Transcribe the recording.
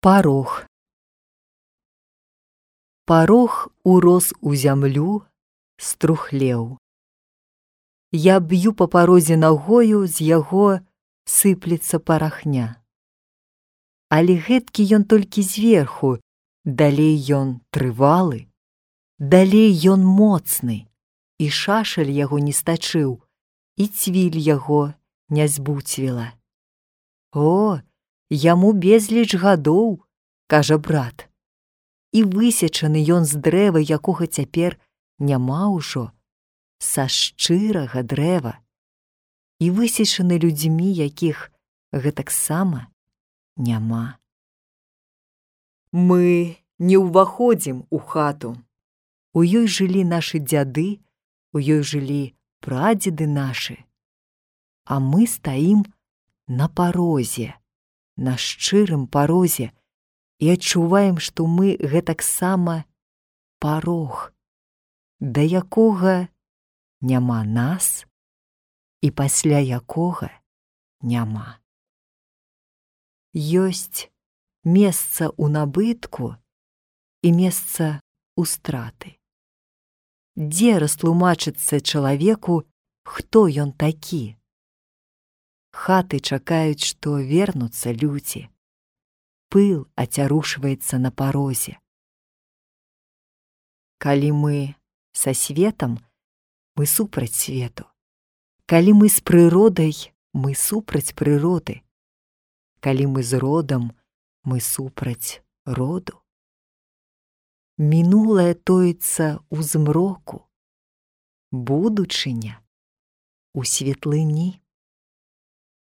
Парог. Парог урос у зямлю, струхлеў. Я б'ю па парозе нагою, з яго сыплецца парахня. Але гэткі ён толькі зверху, далей ён трывалы, далей ён моцны, і шашаль яго не стачыў, і цвіль яго не збуцвіла. О, яму безліч гадоў, кажа брат, і высечаны ён з дрэва, якога цяпер няма ўжо, са шчырага дрэва, і высечаны людзьмі, якіх гэтаксама няма. Мы не ўваходзім у хату. У ёй жылі нашы дзяды, у ёй жылі прадзеды нашы, а мы стаім на парозе, на шчырым парозе, і адчуваем, што мы гэтаксама парог, да якога няма нас і пасля якога няма. Ёсць месца ў набытку і месца ў страты. Дзе растлумачыцца чалавеку, хто ён такі? Хаты чакаюць, што вернуцца людзі. Пыл ацярушваецца на парозе. Калі мы са светам, мы супраць свету. Калі мы з прыродай, мы супраць прыроды. Калі мы з родам, мы супраць роду. Мінулае тоіцца ў змроку, будучыня у светлыні.